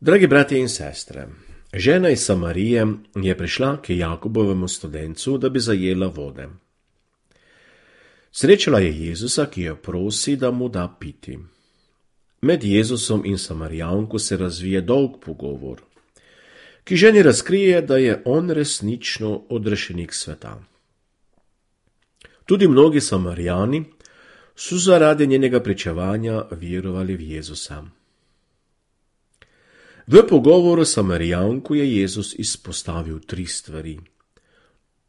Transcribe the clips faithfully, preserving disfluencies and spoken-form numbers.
Dragi bratje in sestre, žena iz Samarije je prišla k Jakobovemu studencu, da bi zajela vode. Srečala je Jezusa, ki jo prosi, da mu da piti. Med Jezusom in Samarijanko se razvije dolg pogovor, ki ženi razkrije, da je on resnično odrešenik sveta. Tudi mnogi Samarijani so zaradi njenega pričevanja verovali v Jezusa. V pogovoru s Samarijanko je Jezus izpostavil tri stvari.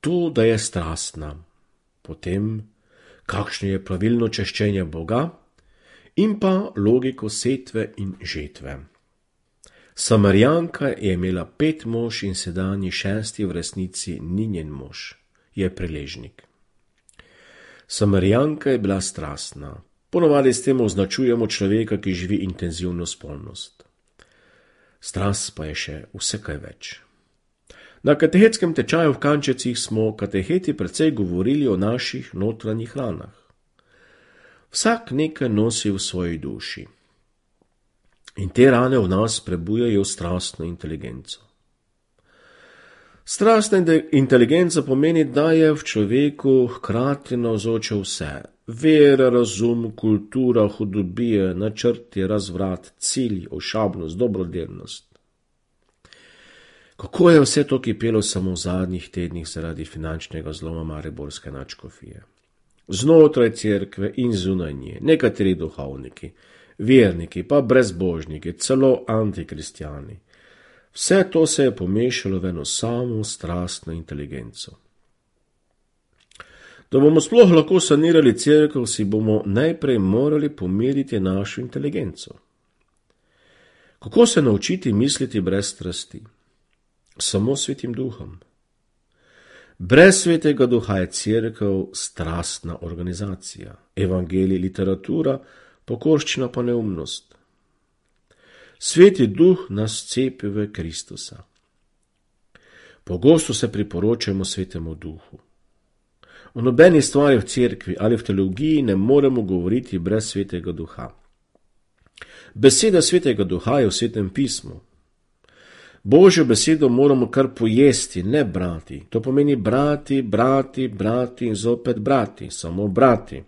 To, da je strastna, potem, kakšno je pravilno češčenje Boga in pa logiko setve in žetve. Samarijanka je imela pet mož in sedanji šesti v resnici ni njen mož, je preležnik. Samarijanka je bila strastna. Ponovadi s tem označujemo človeka, ki živi intenzivno spolnost. Strast pa je še vse kaj več. Na katehetskem tečaju v Kančecih smo kateheti precej govorili o naših notranjih ranah. Vsak nekaj nosi v svoji duši. In te rane v nas prebujajo strastno inteligenco. Strastna inteligenca pomeni, da je v človeku hkrati navzoče vse. Vera, razum, kultura, hudobije, načrti, razvrat, cilj, ošabnost, dobrodelnost. Kako je vse to kipelo samo v zadnjih tednih zaradi finančnega zloma mariborske nadškofije? Znotraj cerkve in zunaj nje, nekateri duhovniki, verniki, pa brezbožniki, celo antikristjani. Vse to se je pomešalo v eno samo strastno inteligenco. Da bomo sploh lahko sanirali cerkev, si bomo najprej morali pomiriti našo inteligenco. Kako se naučiti misliti brez strasti? Samo svetim duhom. Brez svetega duha je cerkev strastna organizacija, evangelij literatura, pokorščina pa neumnost. Sveti duh nas cepi v Kristusa. Pogosto se priporočamo svetemu duhu. O nobeni stvari v cerkvi ali v teologiji ne moremo govoriti brez svetega duha. Beseda svetega duha je v svetem pismu. Božjo besedo moramo kar pojesti, ne brati. To pomeni brati, brati, brati in zopet brati, samo brati.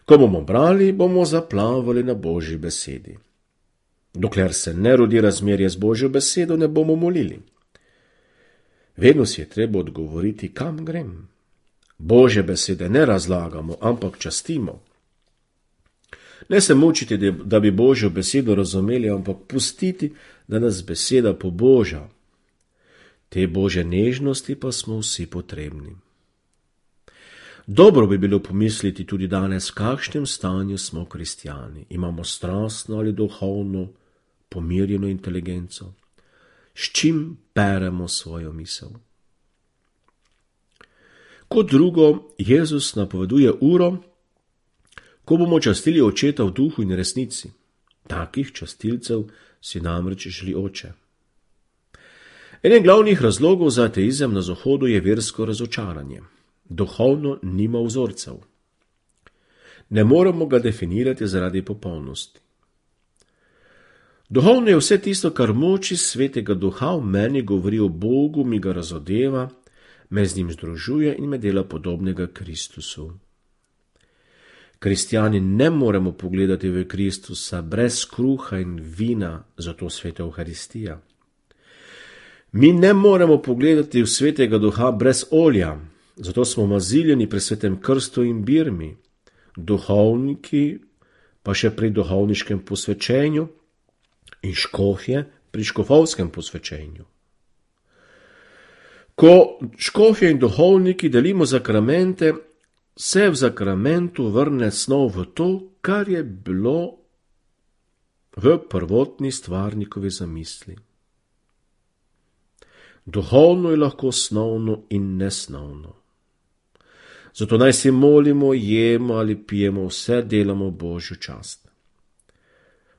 Ko bomo brali, bomo zaplavali na Božji besedi. Dokler se ne rodi razmerje z Božjo besedo, ne bomo molili. Vedno si je treba odgovoriti, kam grem. Božje besede ne razlagamo, ampak častimo. Ne se mučiti, da bi Božjo besedo razumeli, ampak pustiti, da nas beseda poboža. Te Božje nežnosti pa smo vsi potrebni. Dobro bi bilo pomisliti tudi danes, v kakšnem stanju smo kristjani. Imamo strastno ali duhovno pomirjeno inteligenco, s čim peremo svojo misel. Kot drugo, Jezus napoveduje uro, ko bomo častili očeta v duhu in resnici. Takih častilcev si namreč želi oče. Eden glavnih razlogov za ateizem na Zahodu je versko razočaranje. Duhovno nima vzorcev. Ne moremo ga definirati zaradi popolnosti. Duhovno je vse tisto, kar moči svetega duha v meni govori o Bogu, mi ga razodeva, me z njim združuje in me dela podobnega Kristusu. Kristjani ne moremo pogledati v Kristusa brez kruha in vina, zato sveta Evharistija. Mi ne moremo pogledati v svetega duha brez olja, zato smo maziljeni pri svetem krstu in birmi, duhovniki pa še pri duhovniškem posvečenju in škofje pri škofovskem posvečenju. Ko škofje in duhovniki delimo zakramente, se v zakramentu vrne snov v to, kar je bilo v prvotni stvarnikovi zamisli. Duhovno je lahko snovno in nesnovno. Zato naj se molimo, jemo ali pijemo, vse delamo Božjo čast.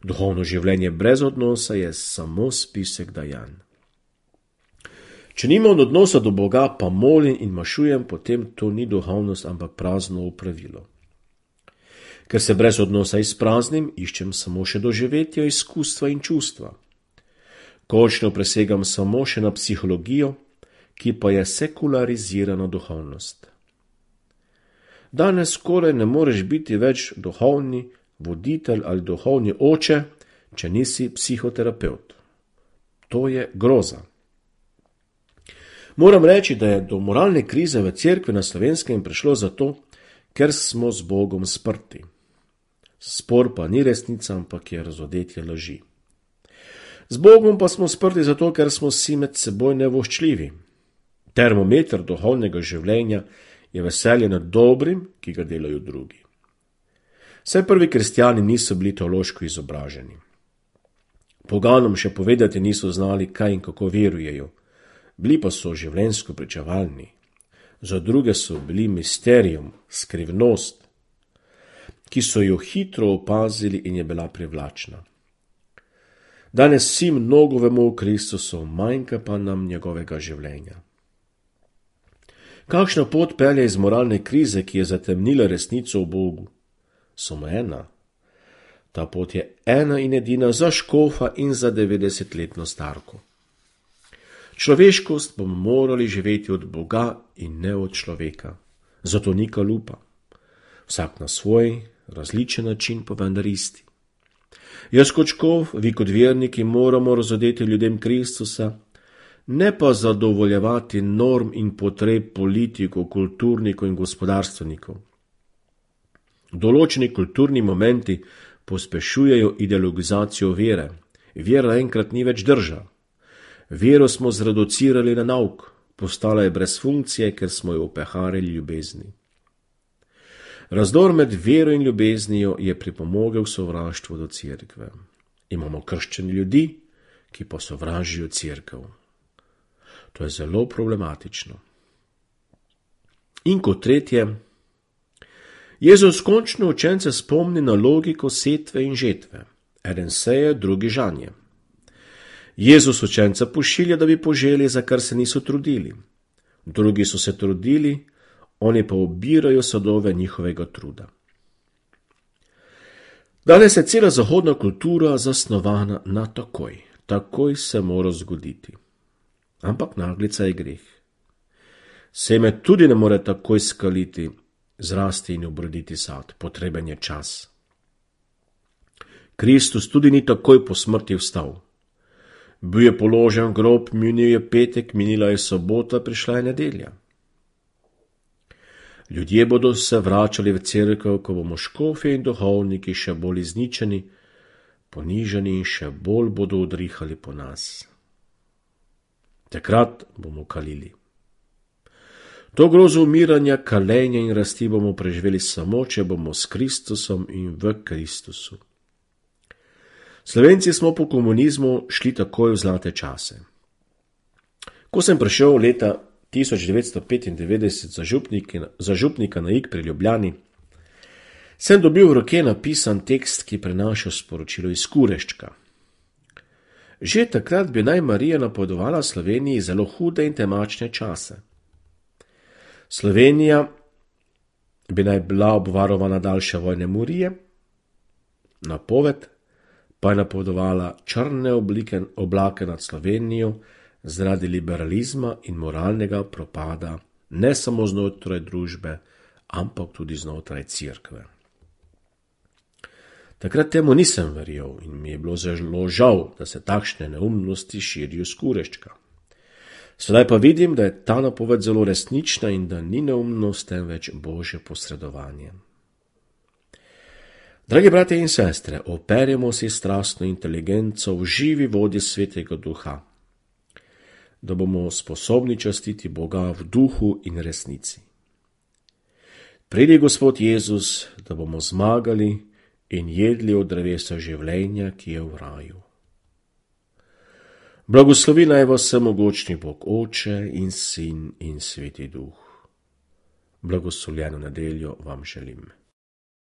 Duhovno življenje brez odnosa je samo spisek dajanj. Če nimam odnosa do Boga, pa molim in mašujem, potem to ni duhovnost, ampak prazno opravilo. Ker se brez odnosa izpraznim, iščem samo še doživetja, izkustva in čustva. Končno presegam samo še na psihologijo, ki pa je sekularizirana duhovnost. Danes skoraj ne moreš biti več duhovni voditelj ali duhovni oče, če nisi psihoterapevt. To je groza. Moram reči, da je do moralne krize v cerkvi na Slovenskem prišlo zato, ker smo z Bogom sprti. Spor pa ni resnica, ampak je razodetje laži. Z Bogom pa smo sprti zato, ker smo si med seboj nevoščljivi. Termometer duhovnega življenja je veselje nad dobrim, ki ga delajo drugi. Saj prvi kristjani niso bili teološko izobraženi. Poganom še povedati niso znali, kaj in kako verujejo. Bili pa so življenjsko pričevalni. Za druge so bili misterium, skrivnost, ki so jo hitro opazili in je bila privlačna. Danes vsi mnogo vemo o Kristusu, manjka pa nam njegovega življenja. Kakšna pot pelje iz moralne krize, ki je zatemnila resnico o Bogu? Samo ena. Ta pot je ena in edina za škofa in za devetdesetletno starko. Človeškost bomo morali živeti od Boga in ne od človeka. Zato ni kalupa. Vsak na svoj, različen način, pa vendar isti. Jaz kot škof, vi kot verniki moramo razodeti ljudem Kristusa, ne pa zadovoljevati norm in potreb politikov, kulturnikov in gospodarstvenikov. Določeni kulturni momenti pospešujejo ideologizacijo vere. Vera enkrat ni več drža. Vero smo zreducirali na nauk, postala je brez funkcije, ker smo jo opeharili ljubezni. Razdor med vero in ljubeznijo je pripomogel sovraštvu do cerkve. Imamo krščeni ljudi, ki pa sovražijo cerkev. To je zelo problematično. In kot tretje, Jezus končno učence spomni na logiko setve in žetve. Eden seje, drugi žanje. Jezus učenca pošilja, da bi poželi, za kar se niso trudili. Drugi so se trudili, oni pa obirajo sadove njihovega truda. Danes je cela zahodna kultura zasnovana na takoj. Takoj se mora zgoditi. Ampak naglica je greh. Seme tudi ne more takoj skaliti, zrasti in obroditi sad. Potreben je čas. Kristus tudi ni takoj po smrti vstal. Bil je položen v grob, minil je petek, minila je sobota, prišla je nedelja. Ljudje bodo se vračali v cerkev, ko bomo škofje in duhovniki še bolj izničeni, ponižani in še bolj bodo udrihali po nas. Takrat bomo kalili. To grozo umiranja, kalenja in rasti bomo preživeli samo, če bomo s Kristusom in v Kristusu. Slovenci smo po komunizmu šli takoj v zlate čase. Ko sem prišel leta tisoč devetsto petindevetdeset za, župnik, za župnika na Ig pri Ljubljani, sem dobil v roke napisan tekst, ki prenaša sporočilo iz Kureščka. Že takrat bi naj Marija napovedovala Sloveniji zelo hude in temačne čase. Slovenija bi naj bila obvarovana daljše vojne morije, napoved pa je napovedovala črne oblike, oblake nad Slovenijo zaradi liberalizma in moralnega propada ne samo znotraj družbe, ampak tudi znotraj cerkve. Takrat temu nisem verjel in mi je bilo zelo žal, da se takšne neumnosti širijo s Kureščka. Sedaj pa vidim, da je ta napoved zelo resnična in da ni neumnost, temveč Božje posredovanje. Dragi bratje in sestre, operjemo si strastno inteligenco v živi vodi Svetega Duha, da bomo sposobni častiti Boga v duhu in resnici. Pridi Gospod Jezus, da bomo zmagali in jedli od drevesa življenja, ki je v raju. Blagoslovi naj vas vsemogočni Bog Oče in Sin in Sveti Duh. Blagoslovljeno nedeljo vam želim.